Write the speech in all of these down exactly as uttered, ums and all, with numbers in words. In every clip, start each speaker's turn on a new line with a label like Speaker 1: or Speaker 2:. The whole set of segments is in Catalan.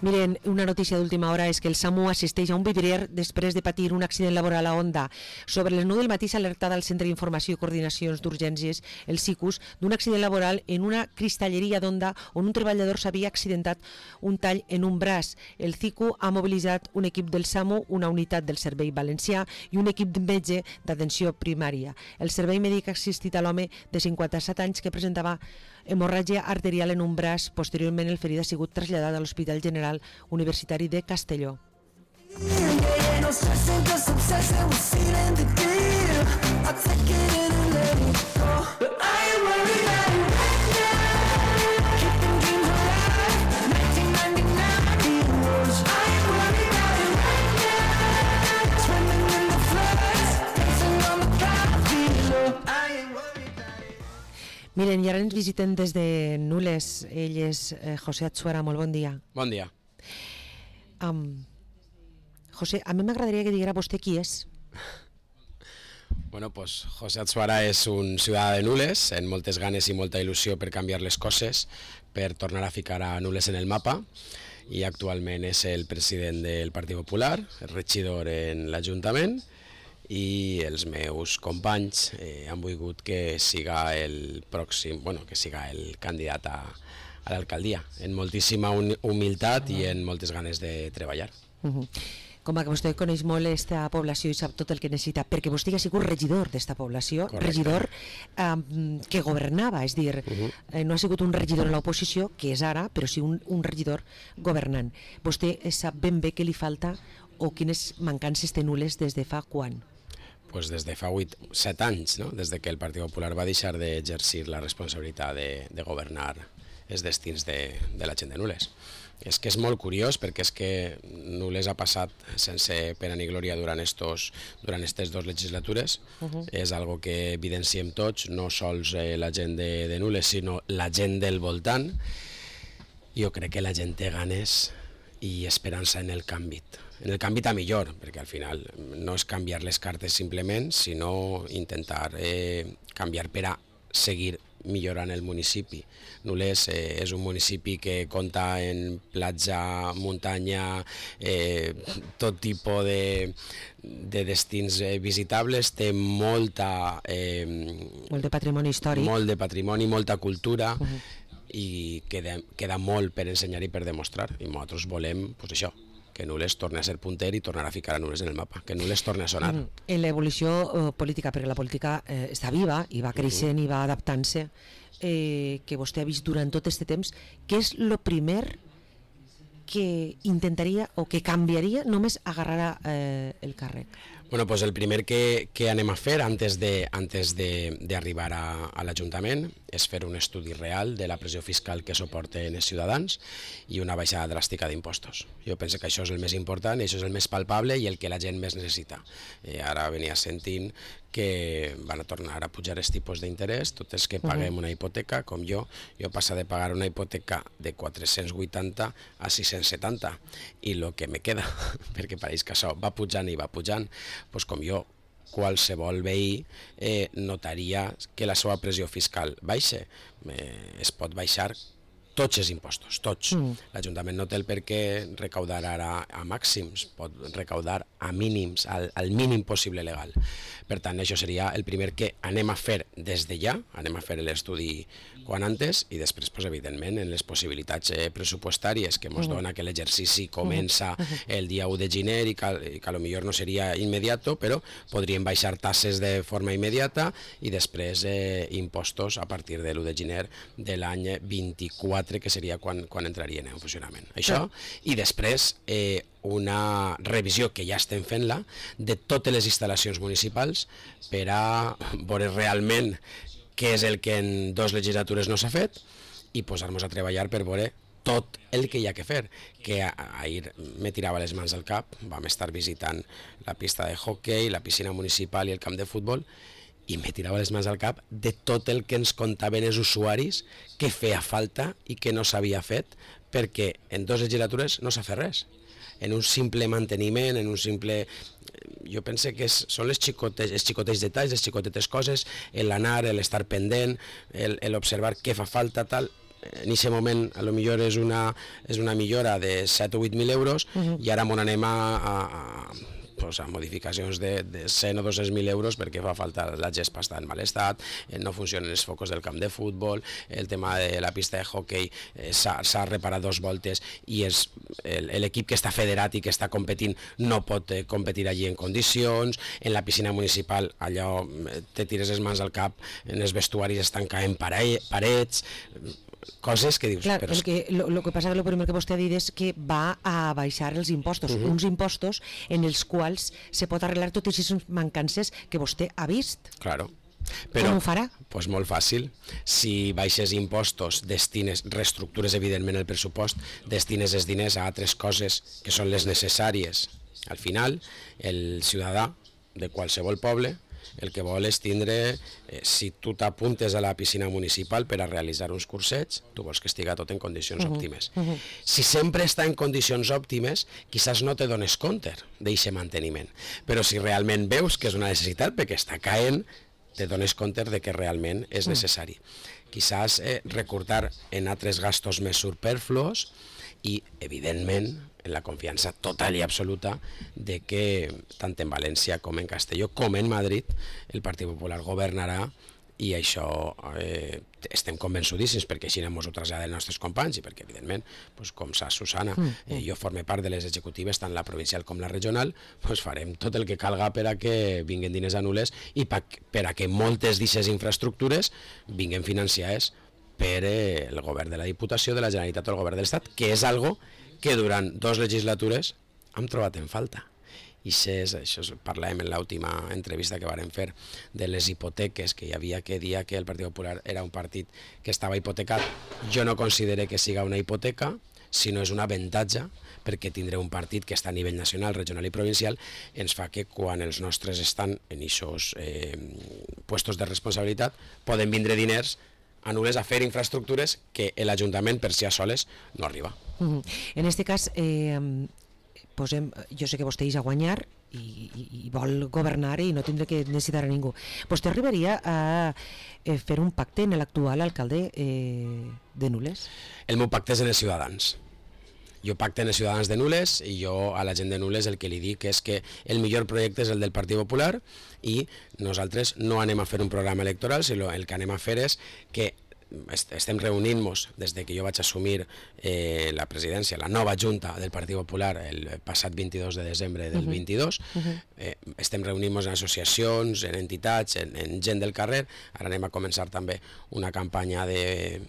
Speaker 1: Miren, una notícia d'última hora és que el SAMU assisteix a un vidrier després de patir un accident laboral a Onda. Sobre les nou del matí s'ha alertat al Centre d'Informació i Coordinacions d'Urgències, el SICUS, d'un accident laboral en una cristalleria d'Onda on un treballador s'havia accidentat un tall en un braç. El CICU ha mobilitzat un equip del SAMU, una unitat del Servei Valencià i un equip de metge d'atenció primària. El servei mèdic ha assistit a l'home de cinquanta-set anys que presentava hemorràgia arterial en un braç. Posteriorment, el ferit ha sigut traslladat a l'Hospital General Universitari de Castelló. Miren, i ara ens visiten des de Nules. Ell és eh, José Atsuara. Molt bon dia.
Speaker 2: Bon dia.
Speaker 1: Um, José, a mi m'agradaria que diguera vostè qui és.
Speaker 2: Bueno, pues José Atsuara és un ciutadà de Nules, amb moltes ganes i molta il·lusió per canviar les coses, per tornar a ficar a Nules en el mapa, i actualment és el president del Partit Popular, el regidor en l'Ajuntament, i els meus companys eh, han volgut que siga el pròxim, bueno, que siga el candidat a, a l'alcaldia, en moltíssima humilitat i en moltes ganes de treballar.
Speaker 1: Uh-huh. Com que vostè coneix molt aquesta població i sap tot el que necessita, perquè vostè ha sigut regidor d'esta població. Correcte. Regidor eh, que governava, és dir, uh-huh. eh, no ha sigut un regidor en l'oposició, que és ara, però sí un, un regidor governant. Vostè sap ben bé què li falta o quines mancances té Nules des de fa quan?
Speaker 2: Pues des de fa vuit, set anys, no? Des de que el Partit Popular va deixar d'exercir la responsabilitat de, de governar els destins de, de la gent de Nules. És que és molt curiós perquè és que Nules ha passat sense pena ni glòria durant estos, durant aquestes dues legislatures. Uh-huh. És algo que evidenciem tots, no sols eh, la gent de, de Nules, sinó la gent del voltant. Jo crec que la gent té ganes i esperança en el canvi, en el canvi a millor, perquè al final no és canviar les cartes simplement, sinó intentar eh, canviar per a seguir millorant el municipi. Nules eh, és un municipi que compta en platja, muntanya, eh, tot tipus de, de destins eh, visitables, té molta... Eh,
Speaker 1: molt de patrimoni històric.
Speaker 2: Molt de patrimoni, molta cultura, uh-huh. i queda, queda molt per ensenyar i per demostrar, i nosaltres volem, pues això, que Nules torni a ser punter i tornar a ficar a Nules en el mapa, que Nules torni a sonar. Mm.
Speaker 1: En l'evolució eh, política, perquè la política eh, està viva i va creixent uh-huh. i va adaptant-se, eh, que vostè ha vist durant tot aquest temps, què és el primer que intentaria o que canviaria només agarrar eh, el càrrec?
Speaker 2: Bueno, pues el primer que, que anem a fer antes de antes de, de arribar a, a l'Ajuntament és fer un estudi real de la pressió fiscal que suporten els ciutadans i una baixada dràstica d'impostos. Jo penso que això és el més important, això és el més palpable i el que la gent més necessita. Eh, ara venia sentint que van a tornar a pujar els tipus d'interès, tots els que paguem una hipoteca, com jo, jo passa de pagar una hipoteca de quatre-cents vuitanta a sis-cents setanta, i el que me queda, perquè pareix que això va pujant i va pujant, doncs com jo, qualsevol veí eh, notaria que la seva pressió fiscal baixa. Eh, es pot baixar tots els impostos, tots. Mm. L'Ajuntament no té el per què recaudar ara a màxims, pot recaudar a mínims, al, al mínim possible legal. Per tant, això seria el primer que anem a fer des de ja, anem a fer l'estudi quan antes, i després, pues, evidentment, en les possibilitats eh, pressupostàries que ens dona que l'exercici comença el dia u de gener i que, i que potser no seria immediato, però podríem baixar tasses de forma immediata i després eh, impostos a partir de l'u de gener de l'any vint-i-quatre, que seria quan, quan entrarien en funcionament. Això, i després eh, una revisió que ja estem fent-la de totes les instal·lacions municipals per a veure realment què és el que en dues legislatures no s'ha fet i posar-nos a treballar per veure tot el que hi ha que fer, que ahir me tirava les mans al cap, vam estar visitant la pista de hockey, la piscina municipal i el camp de futbol, i me tirava les mans al cap de tot el que ens contaven els usuaris que feia falta i que no s'havia fet, perquè en dues legislatures no s'ha fet res. En un simple manteniment, en un simple... Jo penso que és, són les xicotes, els xicotets detalls, les xicotetes coses, l'anar, l'estar pendent, l'observar què fa falta, tal... en aquest moment a lo millor és una, és una millora de set o vuit mil euros uh-huh. i ara m'on anem a, a, a pues, a modificacions de, de cent o dos-cents mil euros perquè fa falta, la gespa està en mal estat, eh, no funcionen els focus del camp de futbol, el tema de la pista de hockey eh, s'ha reparat dos voltes i l'equip que està federat i que està competint no pot eh, competir allí en condicions, en la piscina municipal allò eh, te tires les mans al cap, en els vestuaris estan caent pare parets, coses que dius...
Speaker 1: Clar,
Speaker 2: però...
Speaker 1: el que, lo, lo que passa que el primer que vostè ha dit és que va a baixar els impostos, uh-huh. uns impostos en els quals se pot arreglar totes aquestes mancances que vostè ha vist.
Speaker 2: Claro. Però,
Speaker 1: com ho farà?
Speaker 2: Pues molt fàcil. Si baixes impostos, destines, reestructures evidentment el pressupost, destines els diners a altres coses que són les necessàries. Al final, el ciutadà de qualsevol poble el que vol és tindre, eh, si tu t'apuntes a la piscina municipal per a realitzar uns cursets, tu vols que estiga tot en condicions uh-huh. òptimes. Uh-huh. Si sempre està en condicions òptimes, quizás no te dones compte d'aquest manteniment, però si realment veus que és una necessitat perquè està caent, te dones compte de que realment és necessari. Uh-huh. Quizás eh, recortar en altres gastos més superfluos i, evidentment, en la confiança total i absoluta de que tant en València com en Castelló com en Madrid el Partit Popular governarà i això eh, estem convençudíssims perquè així ens ho traslladen els nostres companys i perquè evidentment, pues, com saps Susana, eh, jo forme part de les executives tant la provincial com la regional, pues, farem tot el que calga per a que vinguin diners a Nules i pa, per a que moltes d'aquestes infraestructures vinguin financiades per eh, el govern de la Diputació, de la Generalitat o el govern de l'Estat, que és algo que durant dos legislatures hem trobat en falta. I és, això parlàvem en l'última entrevista que vàrem fer de les hipoteques que hi havia que dia que el Partit Popular era un partit que estava hipotecat. Jo no considero que siga una hipoteca, sinó és un avantatge perquè tindré un partit que està a nivell nacional, regional i provincial, ens fa que quan els nostres estan en aquests eh, puestos de responsabilitat poden vindre diners a Nules a fer infraestructures que l'Ajuntament per si a soles no arriba.
Speaker 1: Uh-huh. En aquest cas, eh, posem, jo sé que vostè és a guanyar i, i, i vol governar i no tindrà que necessitar a ningú. Vostè arribaria a eh, fer un pacte amb l'actual alcalde eh, de Nules?
Speaker 2: El meu pacte és en els ciutadans. Jo pacte en els ciutadans de Nules i jo a la gent de Nules el que li dic és que el millor projecte és el del Partit Popular i nosaltres no anem a fer un programa electoral, sinó el que anem a fer és que estem reunint-nos des que jo vaig assumir eh, la presidència, la nova junta del Partit Popular el passat vint-i-dos de desembre del uh-huh. vint-i-dos, uh-huh. eh, estem reunint-nos en associacions, en entitats, en, en gent del carrer, ara anem a començar també una campanya de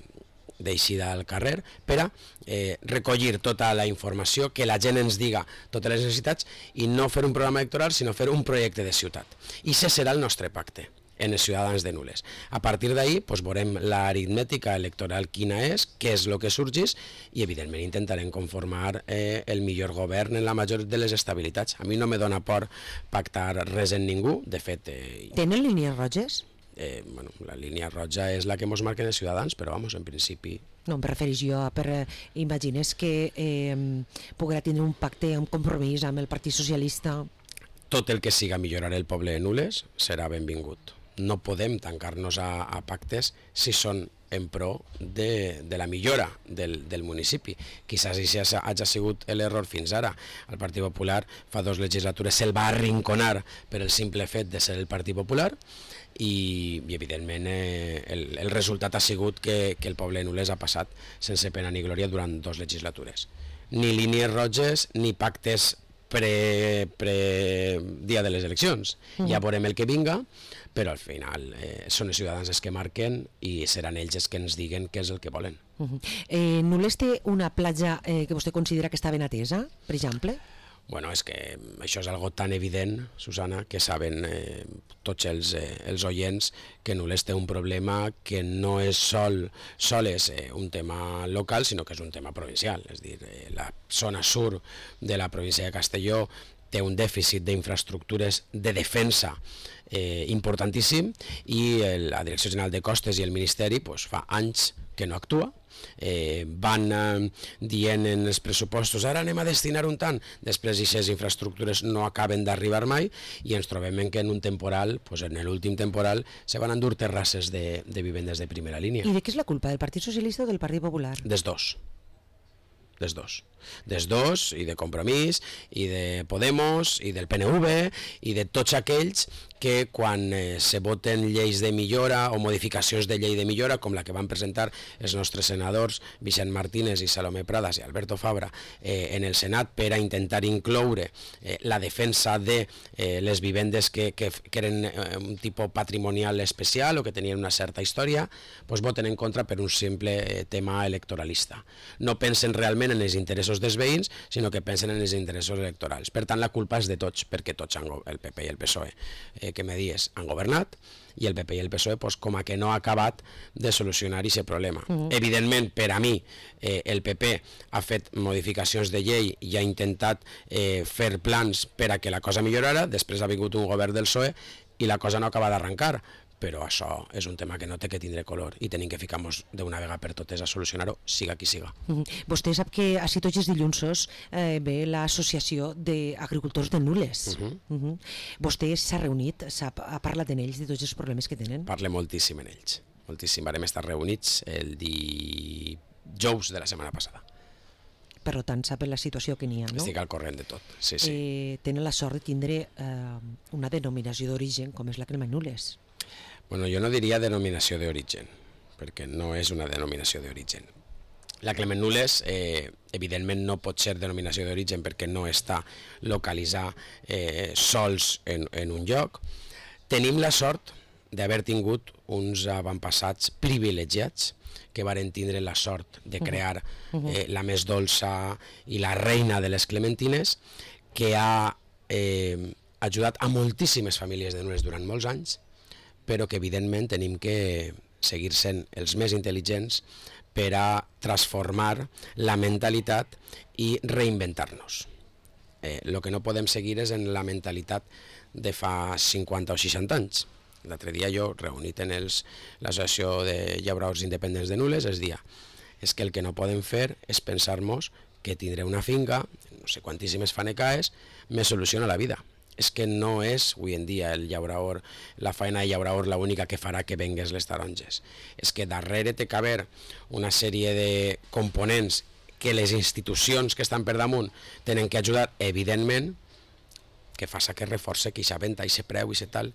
Speaker 2: d'eixida al carrer per a eh, recollir tota la informació, que la gent ens diga totes les necessitats i no fer un programa electoral sinó fer un projecte de ciutat. I això serà el nostre pacte en els ciutadans de Nules. A partir d'ahí pues, veurem l'aritmètica electoral quina és, què és el que sorgís i evidentment intentarem conformar eh, el millor govern en la major de les estabilitats. A mi no me dona por pactar res en ningú, de fet... Eh,
Speaker 1: Tenen línies roges?
Speaker 2: Eh, bueno, la línia roja és la que ens marquen els ciutadans, però vamos, en principi...
Speaker 1: No, em refereix jo a per... Eh, imagines que eh, podrà tindre un pacte, un compromís amb el Partit Socialista?
Speaker 2: Tot el que siga millorar el poble de Nules serà benvingut. No podem tancar-nos a, a pactes si són en pro de, de la millora del, del municipi. Quizás això hagi sigut l'error fins ara. El Partit Popular fa dos legislatures se'l va arrinconar per el simple fet de ser el Partit Popular i, i evidentment eh, el, el resultat ha sigut que, que el poble de Nules ha passat sense pena ni glòria durant dos legislatures. Ni línies roges ni pactes pre, pre dia de les eleccions. Mm. Ja veurem el que vinga, però al final eh, són els ciutadans els que marquen i seran ells els que ens diguen què és el que volen.
Speaker 1: Uh-huh. eh, Nules té una platja eh, que vostè considera que està ben atesa, per exemple?
Speaker 2: Bueno, és que això és algo tan evident, Susana, que saben eh, tots els, eh, els oients que Nules té un problema que no és sol, sol és eh, un tema local, sinó que és un tema provincial. És dir, eh, la zona sur de la província de Castelló té un dèficit d'infraestructures de defensa eh, importantíssim i el, la Direcció General de Costes i el Ministeri pues, fa anys que no actua, eh, van eh, dient en els pressupostos ara anem a destinar un tant, després aquestes infraestructures no acaben d'arribar mai i ens trobem en que en un temporal, pues en l'últim temporal, se van endur terrasses de, de vivendes de primera línia.
Speaker 1: I de què és la culpa, del Partit Socialista o del Partit Popular?
Speaker 2: Des dos. Des dos. Des dos, i de Compromís, i de Podemos, i del P N V, i de tots aquells que quan eh, se voten lleis de millora o modificacions de llei de millora, com la que van presentar els nostres senadors Vicent Martínez i Salomé Pradas i Alberto Fabra eh, en el Senat per a intentar incloure eh, la defensa de eh, les vivendes que, que, que eren eh, un tipus patrimonial especial o que tenien una certa història, doncs voten en contra per un simple eh, tema electoralista. No pensen realment en els interessos dels veïns, sinó que pensen en els interessos electorals. Per tant, la culpa és de tots, perquè tots, han, el P P i el P S O E, eh, que me dies, han governat, i el P P i el P S O E pues, com a que no ha acabat de solucionar aquest problema. Uh-huh. Evidentment, per a mi, eh, el P P ha fet modificacions de llei i ha intentat eh, fer plans per a que la cosa millorara, després ha vingut un govern del P S O E i la cosa no acaba d'arrencar, però això és un tema que no té que tindre color i tenim que ficar-nos d'una vegada per totes a solucionar-ho, siga qui siga.
Speaker 1: Uh-huh. Vostè sap que així tots els dilluns eh, ve l'associació d'agricultors de Nules. Uh-huh. Uh-huh. Vostè s'ha reunit, sap, ha parlat amb ells de tots els problemes que tenen?
Speaker 2: Parle moltíssim en ells, moltíssim. Vam estar reunits el dijous de la setmana passada.
Speaker 1: Per tant, sap la situació que n'hi ha, no?
Speaker 2: Estic al corrent de tot, sí, sí.
Speaker 1: Eh, tenen la sort de tindre eh, una denominació d'origen com és la crema Nules.
Speaker 2: Bueno, jo no diria denominació d'origen, perquè no és una denominació d'origen. La Clement Nules, eh, evidentment, no pot ser denominació d'origen perquè no està localitzada eh, sols en, en un lloc. Tenim la sort d'haver tingut uns avantpassats privilegiats que varen tindre la sort de crear eh, la més dolça i la reina de les clementines, que ha eh, ajudat a moltíssimes famílies de Nules durant molts anys, però que evidentment tenim que seguir sent els més intel·ligents per a transformar la mentalitat i reinventar-nos. Eh, el que no podem seguir és en la mentalitat de fa cinquanta o seixanta anys. L'altre dia jo, reunit en l'associació de llauradors independents de Nules, es dia, és que el que no podem fer és pensar-nos que tindré una finca, no sé quantíssimes fanecaes, me soluciona la vida. És que no és, avui en dia, el llaurador, la feina de llaurador l'única que farà que vengues les taronges. És que darrere té que haver una sèrie de components que les institucions que estan per damunt tenen que ajudar, evidentment, que faça que reforce que aquesta venda, aquest preu, aquest tal.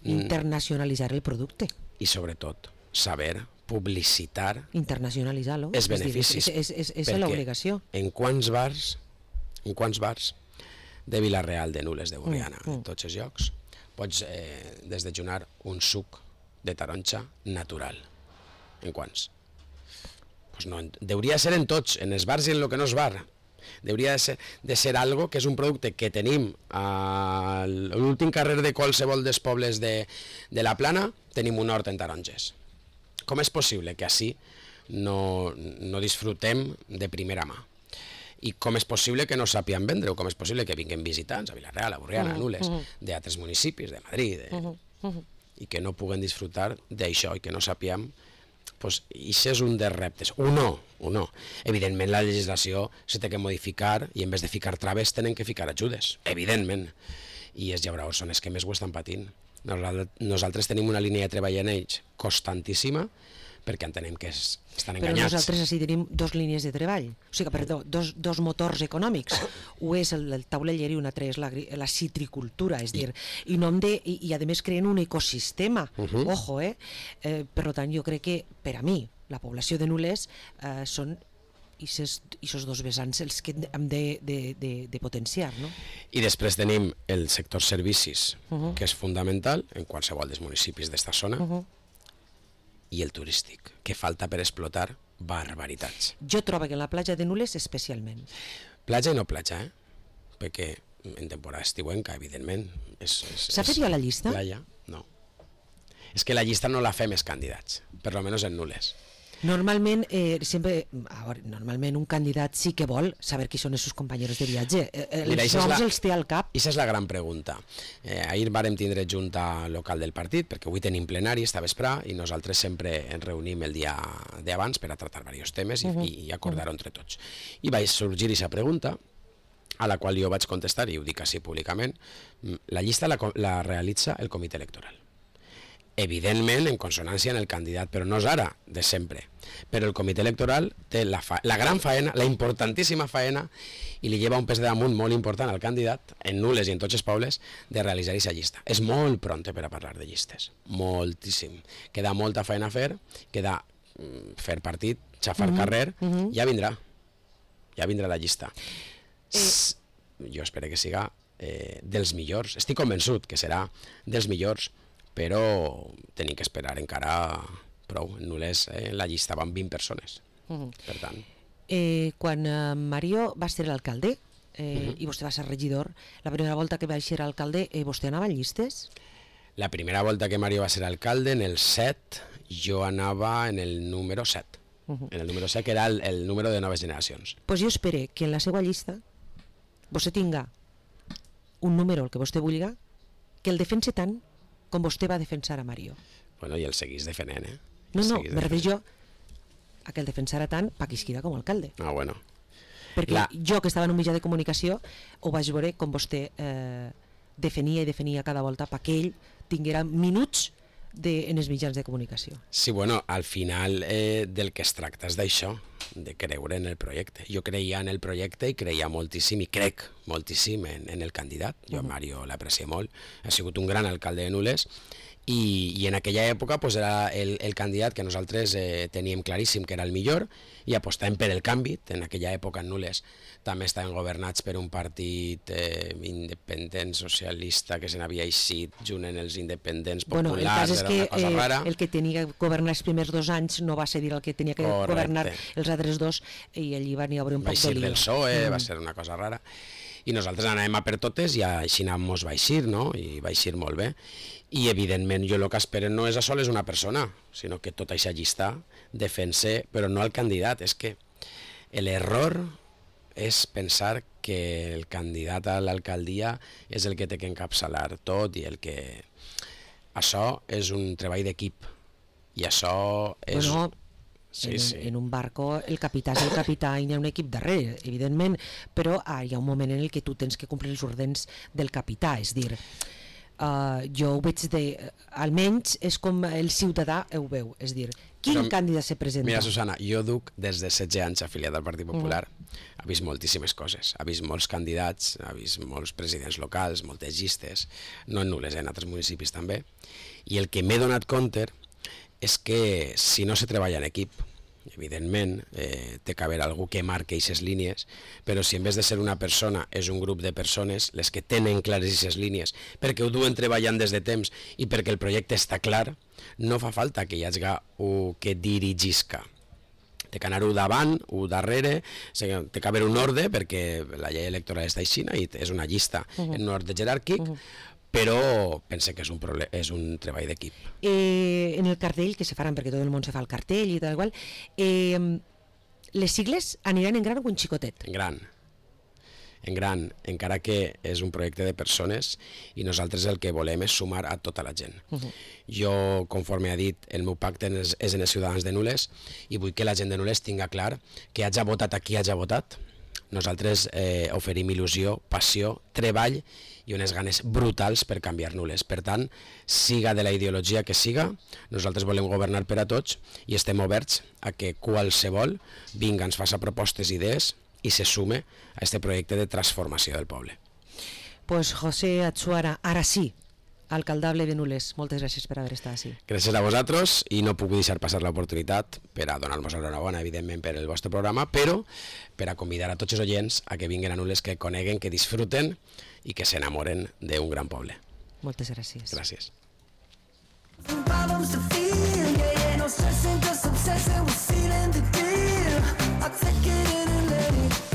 Speaker 1: Internacionalitzar el producte.
Speaker 2: I sobretot, saber publicitar
Speaker 1: internacionalitzar-lo.
Speaker 2: els beneficis.
Speaker 1: És, és, és, és l'obligació.
Speaker 2: En quants bars, en quants bars de Vila-real, de Nules, de Borriana, mm, mm. en tots els llocs, pots eh, desdejunar un suc de taronja natural. En quants? Pues no, deuria ser en tots, en els bars i en el que no és bar. Deuria de ser, de ser algo que és un producte que tenim a l'últim carrer de qualsevol dels pobles de, de la Plana, tenim un hort en taronges. Com és possible que així no, no disfrutem de primera mà? I com és possible que no sàpien vendre, o com és possible que vinguin visitants a Vila-real, a Borriana, a Nules, d'altres municipis, de Madrid, de... i que no puguen disfrutar d'això i que no sàpiem, doncs això és un dels reptes. Un no, un no. Evidentment la legislació s'ha de modificar i en vez de ficar traves tenen que ficar ajudes, evidentment. I els llauradors són els que més ho estan patint. Nosaltres tenim una línia de treball en ells constantíssima, perquè entenem que es, estan enganyats.
Speaker 1: Però nosaltres així tenim dos línies de treball, o sigui, perdó, dos, dos motors econòmics. Un és el, el tauleller i un altre és la, la citricultura, és dir, i, no de, i, i a més creen un ecosistema, uh-huh. ojo, eh? eh? Per tant, jo crec que, per a mi, la població de Nules eh, són aquests dos vessants els que hem de, de, de, de potenciar, no?
Speaker 2: I després tenim el sector servicis, uh-huh. que és fundamental en qualsevol dels municipis d'esta zona, uh-huh. i el turístic, que falta per explotar barbaritats.
Speaker 1: Jo trobo que en la platja de Nules especialment.
Speaker 2: Platja i no platja, eh? Perquè en temporada estiuenca, evidentment.
Speaker 1: S'ha fet ja la llista?
Speaker 2: Playa, no. És que la llista no la fem els candidats, per almenys en Nules.
Speaker 1: Normalment, eh, sempre, a veure, normalment un candidat sí que vol saber qui són els seus companys de viatge. Eh,
Speaker 2: Mira,
Speaker 1: els
Speaker 2: ixa és
Speaker 1: noms
Speaker 2: la-
Speaker 1: els té al cap.
Speaker 2: Ixa és la gran pregunta. Eh, ahir vàrem tindre junta local del partit, perquè avui tenim plenari, està vesprà, i nosaltres sempre ens reunim el dia d'abans per a tratar diversos temes i, uh -huh. i acordar-ho entre tots. I vaig sorgir aquesta pregunta, a la qual jo vaig contestar, i ho dic així públicament. La llista la, la realitza el comitè electoral. Evidentment en consonància en el candidat, però no és ara, de sempre. Però el comitè electoral té la, fa la gran faena, la importantíssima faena, i li lleva un pes de damunt molt important al candidat, en Nules i en tots els pobles, de realitzar aquesta llista. És molt pronte per a parlar de llistes, moltíssim. Queda molta feina a fer, queda mm, fer partit, xafar mm -hmm. carrer, mm -hmm. ja vindrà, ja vindrà la llista. Eh... Jo espero que siga eh, dels millors, estic convençut que serà dels millors, però tenim que esperar encara prou. En Nules eh, la llista van vint persones, uh -huh. per tant.
Speaker 1: Eh, quan eh, Mario va ser alcalde eh, uh -huh. i vostè va ser regidor, la primera volta que va ser alcalde, eh, vostè anava en llistes?
Speaker 2: La primera volta que Mario va ser alcalde, en el set, jo anava en el número set. Uh -huh. En el número set, que era el, el número de noves generacions.
Speaker 1: Doncs pues jo espero que en la seva llista vostè tinga un número, el que vostè vulgui, que el defense tant com vostè va defensar a Mario.
Speaker 2: Bueno, i el seguís defendent, eh?
Speaker 1: No, no, me refereixo a que el defensara tant Paquisquira com a alcalde.
Speaker 2: Ah, bueno.
Speaker 1: Perquè la... jo, que estava en un mitjà de comunicació, ho vaig veure com vostè eh, defenia i defenia cada volta perquè ell tinguera minuts de, en els mitjans de comunicació.
Speaker 2: Sí, bueno, al final eh, del que es tracta és d'això, de creure en el projecte. Jo creia en el projecte i creia moltíssim, i crec moltíssim en, en el candidat. Jo a Mario l'aprecio molt, ha sigut un gran alcalde de Nules, i, i en aquella època pues, era el, el candidat que nosaltres eh, teníem claríssim que era el millor, i apostàvem per el canvi. En aquella època en Nules també estaven governats per un partit eh, independent socialista que se n'havia eixit junt en els independents populars,
Speaker 1: bueno, el cas és
Speaker 2: era
Speaker 1: que,
Speaker 2: una cosa rara.
Speaker 1: Eh, el que tenia que governar els primers dos anys no va ser dir el que tenia que Correcte. governar els altres dos, i allí va n'hi haver un
Speaker 2: va
Speaker 1: poc de lío.
Speaker 2: del P S O E,
Speaker 1: mm.
Speaker 2: va ser una cosa rara, i nosaltres anàvem a per totes i així mos va eixir, no? I va eixir molt bé. I evidentment jo el que espero no és a soles una persona, sinó que tota aquesta llista defense, però no el candidat. És que l'error és pensar que el candidat a l'alcaldia és el que té que encapçalar tot, i el que... Això és un treball d'equip, i això és...
Speaker 1: Bueno,
Speaker 2: sí,
Speaker 1: en,
Speaker 2: sí.
Speaker 1: en un barco el capità és el capità i hi ha un equip darrere, evidentment, però ah, hi ha un moment en el que tu tens que complir els ordres del capità, és dir... Uh, jo ho veig de... almenys és com el ciutadà ho veu, és dir, quin però, candidat se presenta?
Speaker 2: Mira, Susana, jo duc des de setze anys afiliat al Partit Popular, mm. ha vist moltíssimes coses, ha vist molts candidats, ha vist molts presidents locals, moltes llistes, no en Nules, en altres municipis també, i el que m'he donat compte és que si no se treballa en equip, evidentment eh, té que haver algú que marqui aquestes línies, però si en vez de ser una persona és un grup de persones les que tenen clares aquestes línies perquè ho duen treballant des de temps i perquè el projecte està clar, no fa falta que hi hagi un que dirigisca. Té que anar-ho davant, ho darrere, té que haver un ordre, perquè la llei electoral està així i és una llista uh -huh. en un ordre jeràrquic, uh -huh. però pense que és un, és un treball d'equip.
Speaker 1: Eh, en el cartell, que se faran perquè tot el món se fa el cartell i tal qual, eh, les sigles aniran en gran o en xicotet?
Speaker 2: En gran. En gran, encara que és un projecte de persones i nosaltres el que volem és sumar a tota la gent. Uh -huh. Jo, conforme ha dit, el meu pacte és, és en els ciutadans de Nules i vull que la gent de Nules tinga clar que hagi votat a qui hagi votat. Nosaltres eh, oferim il·lusió, passió, treball i unes ganes brutals per canviar Nules. Per tant, siga de la ideologia que siga, nosaltres volem governar per a tots i estem oberts a que qualsevol vinga, ens faça propostes i idees i se sume a aquest projecte de transformació del poble.
Speaker 1: Pues José Atsuara, ara sí, alcaldable de Nules, moltes gràcies per haver estat així.
Speaker 2: Gràcies a vosaltres, i no puc deixar passar l'oportunitat per a donar-nos enhorabona, evidentment, per el vostre programa, però per a convidar a tots els oients a que vinguin a Nules, que coneguen, que disfruten i que s'enamoren d'un gran poble.
Speaker 1: Moltes gràcies.
Speaker 2: Gràcies.